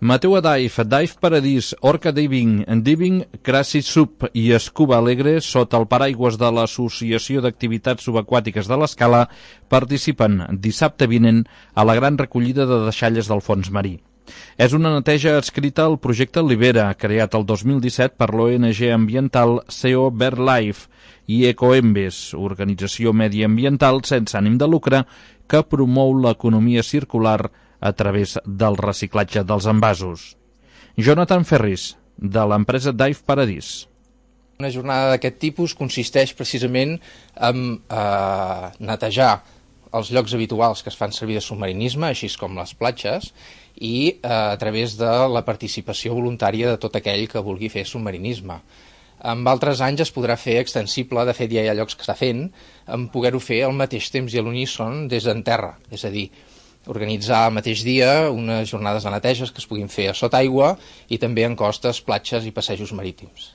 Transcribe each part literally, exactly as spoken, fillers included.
Mateu Dive, Dive Paradís, Orca Diving, Diving Crazy Sub i Scuba Alegre, sota el paraigües de l'Associació d'Activitats Subaquàtiques de l'Escala, participen dissabte vinent a la gran recollida de deixalles del fons marí. És una neteja adscrita al projecte Libera, creat el dos mil disset per l'O N G ambiental C O BirdLife i Ecoembes, organització mediambiental sense ànim de lucre que promou l'economia circular a través del reciclatge dels envasos. Jonathan Ferris, de l'empresa Dive Paradís. Una jornada d'aquest tipus consisteix precisament en eh, netejar els llocs habituals que es fan servir de submarinisme, així com les platges, i eh, a través de la participació voluntària de tot aquell que vulgui fer submarinisme. En altres anys es podrà fer extensible, de fet ja hi ha llocs que està fent, en poder-ho fer al mateix temps i a l'uníson des d'en terra, és a dir, organitzar al mateix dia unes jornades de neteges que es puguin fer a sota aigua i també en costes, platges i passejos marítims.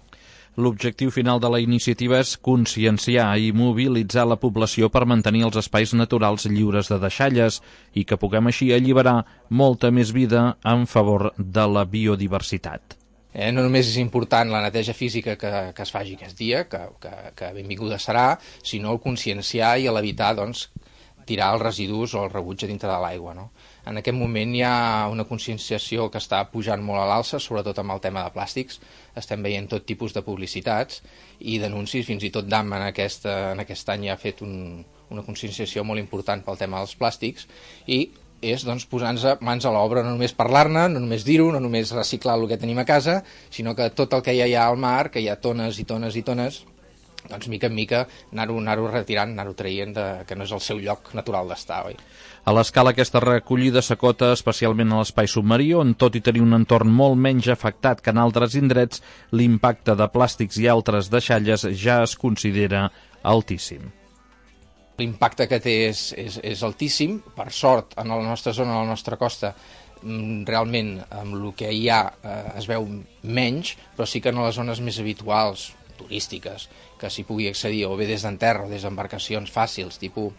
L'objectiu final de la iniciativa és conscienciar i mobilitzar la població per mantenir els espais naturals lliures de deixalles i que puguem així alliberar molta més vida en favor de la biodiversitat. Eh, no només és important la neteja física que, que es faci aquest dia, que, que, que benvinguda serà, sinó el conscienciar i l'evitar, doncs, tirar els residus o el rebuig a dintre de l'aigua, no? En aquest moment hi ha una conscienciació que està pujant molt a l'alça, sobretot amb el tema de plàstics. Estem veient tot tipus de publicitats i d'anuncis, fins i tot D A M en aquest, en aquest any ha fet un, una conscienciació molt important pel tema dels plàstics i és doncs, posar-nos mans a l'obra, no només parlar-ne, no només dir-ho, no només reciclar el que tenim a casa, sinó que tot el que hi ha allà al mar, que hi ha tones i tones i tones, doncs mica en mica anar-ho anar-ho retirant, anar-ho traient, de, que no és el seu lloc natural d'estar, oi? A l'Escala aquesta recollida s'acota especialment a l'espai submarí, on tot i tenir un entorn molt menys afectat que en altres indrets, l'impacte de plàstics i altres deixalles ja es considera altíssim. L'impacte que té és, és, és altíssim, per sort, en la nostra zona, a la nostra costa, realment amb el que hi ha eh, es veu menys, però sí que en les zones més habituals, turístiques, que s'hi pugui accedir o bé des d'en terra o des d'embarcacions fàcils, tipus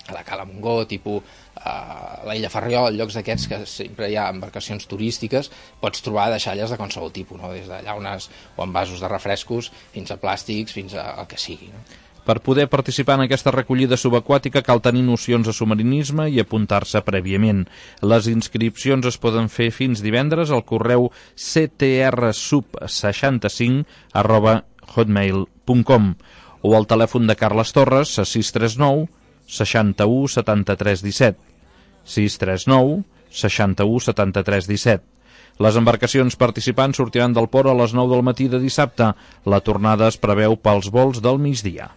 a la Cala Montgó, tipus a l'Illa Ferriol, llocs d'aquests que sempre hi ha embarcacions turístiques, pots trobar deixalles de qualsevol tipus, no? Des de llaunes o envasos de refrescos fins a plàstics, fins al que sigui, no? Per poder participar en aquesta recollida subaquàtica cal tenir nocions de submarinisme i apuntar-se prèviament. Les inscripcions es poden fer fins divendres al correu c t r sub seixanta cinc arroba hotmail punt com o al telèfon de Carles Torres a sis tres nou seixanta-u setanta-tres disset, sis tres nou seixanta-u setanta-tres disset. Les embarcacions participants sortiran del port a les nou del matí de dissabte. La tornada es preveu pels vols del migdia.